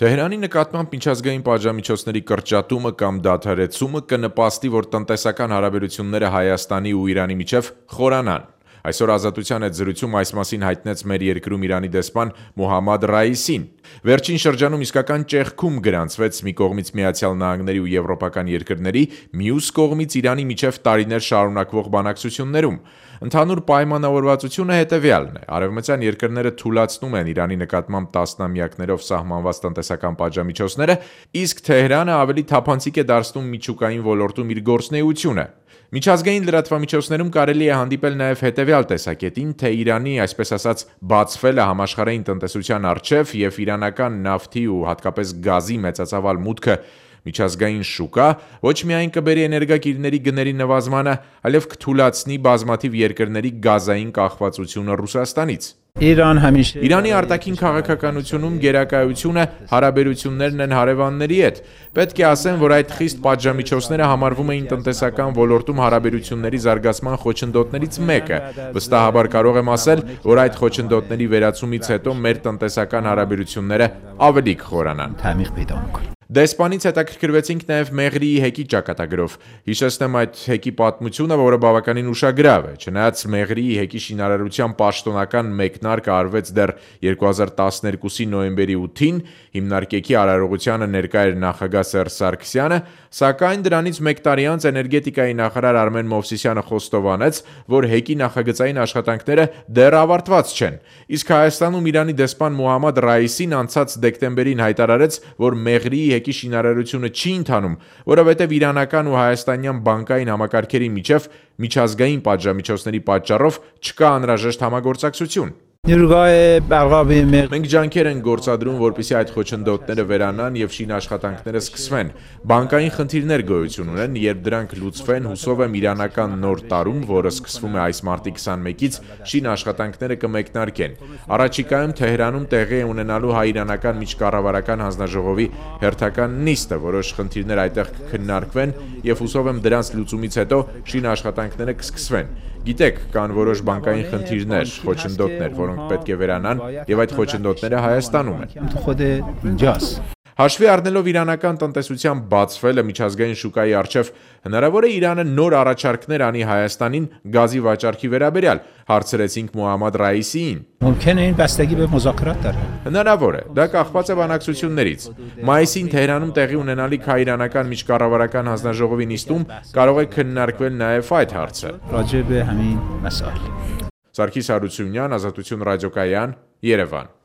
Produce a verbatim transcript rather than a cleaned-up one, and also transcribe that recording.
Թեհրանի նկատմամբ միջազգային պատժամիջոցների կրճատումը կամ դադարեցումը կնպաստի, որ տնտեսական հարաբերությունները Հայաստանի ու Իրանի միջև խորանան։ Այսօր Ազատության հետ զրույցում այս մասին հայտնեց մեր երկրում Իրանի դեսպան Մոհամմադ Ռայիսին։ Վերջին շրջանում իսկական ճեղքում գրանցվեց մի կողմից Միացյալ Նահանգների ու եվրոպական երկրների, մյուս կողմից Իրանի միջև տարիներ շարունակվող բանակցություններում։ Ընդհանուր պայմանավորվածությունը հետևյալն է. արևմտյան երկրները թուլացնում են Իրանի նկատմամբ տասնամյակներով սահմանված տնտեսական պատժամիջոցները, իսկ Թեհրանը ավելի թափանցիկ է դարձնում միջուկային ոլորտում իր գործունեությունը։ Միջազգային լրատվամիջոցներում կարելի է հանդիպել նաև հետևյալ տեսակետին, թե Իրանի, այսպես ասած, բացվելը համաշխարհային տնտեսության առջև և իրանական նավթի ու հատկապես գազի մեծածավալ մուտքը միջազգային շուկա ոչ միայն կբերի էներգակիրների գների նվազմանը, այլև կթուլացնի բազմաթիվ երկրների գազային կախվածությունը Ռուսաստանից։ Իրանի արտաքին քաղաքականությունում գերակայությունը հարաբերություններն են հարևանների հետ։ Պետք է ասեմ, որ այդ խիստ պատժամիջոցները համարվում էին տնտեսական ոլորտում հարաբերությունների զարգացման խոչընդոտներից մեկը։ Վստահաբար կարող եմ ասել, որ այդ խոչընդոտների վերացումից հետո մեր տնտեսական հարաբերությունները ավելի կխորանան։ Դեսպանից հետաքրքրվեցինք նաև Մեղրիի հեկի ճակատագրով։ Հիշեցնեմ այդ հեկի պատմությունը, որը բավականին ուշագրավ է։ Չնայած Մեղրիի հեկի շինարարության պաշտոնական մեկնարկը արվեց դեռ երկու հազար տասներկուսի նոյեմբերի ութին, հիմնարկեքի արարողությանը ներկա էր նախագահ Սերժ Սարգսյանը, սակայն դրանից մեկ տարի անց էներգետիկայի նախարար Արմեն Մովսիսյանը խոստովանեց, որ հեկի նախագծային աշխատանքները դեռ ավարտված չեն։ Իսկ Հայաստանում Իրանի դեսպան Մոհամմադ Ռայիսին անցած դեկտեմբերին հայտարարեց, որ Մեղրիի հեկի շինարարությունը չի ընթանում, որովհետև իրանական ու հայաստանյան բանկային համակարգերի միջև միջազգային պատժամիջոցների պատճառով չկա անհրաժեշտ համագործակցություն։ Մենք ջանքեր ենք գործադրում, որպեսզի այդ խոչընդոտները վերանան և շինաշխատանքները սկսվեն։ Բանկային խնդիրներ գոյություն ունեն, երբ դրանք լուծվեն, հուսով եմ իրանական նոր տարում, որը սկսվում է այս մարտի քսանմեկից, շինաշխատանքները կմեկնարկեն։ Առաջիկայում Թեհրանում տեղի է ունենալու հայ-իրանական միջկառավարական հանձնաժողովի հերթական նիստը, որոշ խնդիրներ այդտեղ կքննարկվեն և հուսով եմ դրանց լուծումից հետո շինաշխատանքները կսկսվեն։ Գիտեք, կան որոշ բանկային խնդիրներ, խոչընդոտներ, որոնք պետք է վերանան, և այդ խոչընդոտները Հայաստանում են։ Հաշվի առնելով իրանական տնտեսության բացվելը միջազգային շուկայի առջև, հնարավոր է Իրանը նոր առաջարկներ անի Հայաստանին գազի վաճառքի վերաբերյալ, հարցրեցինք Մոհամմադ Ռայիսիին։ Հնարավոր է, դա կախված է բանակցություններից։ Մայիսին Թեհրանում տեղի ունենալիք հայ-իրանական միջկառավարական հանձնաժողովի նիստում կարող է քննարկվել նաև այդ հարցը։ Սարգիս Հարությունյան, Ազատություն ռադիոկայան, Երևան։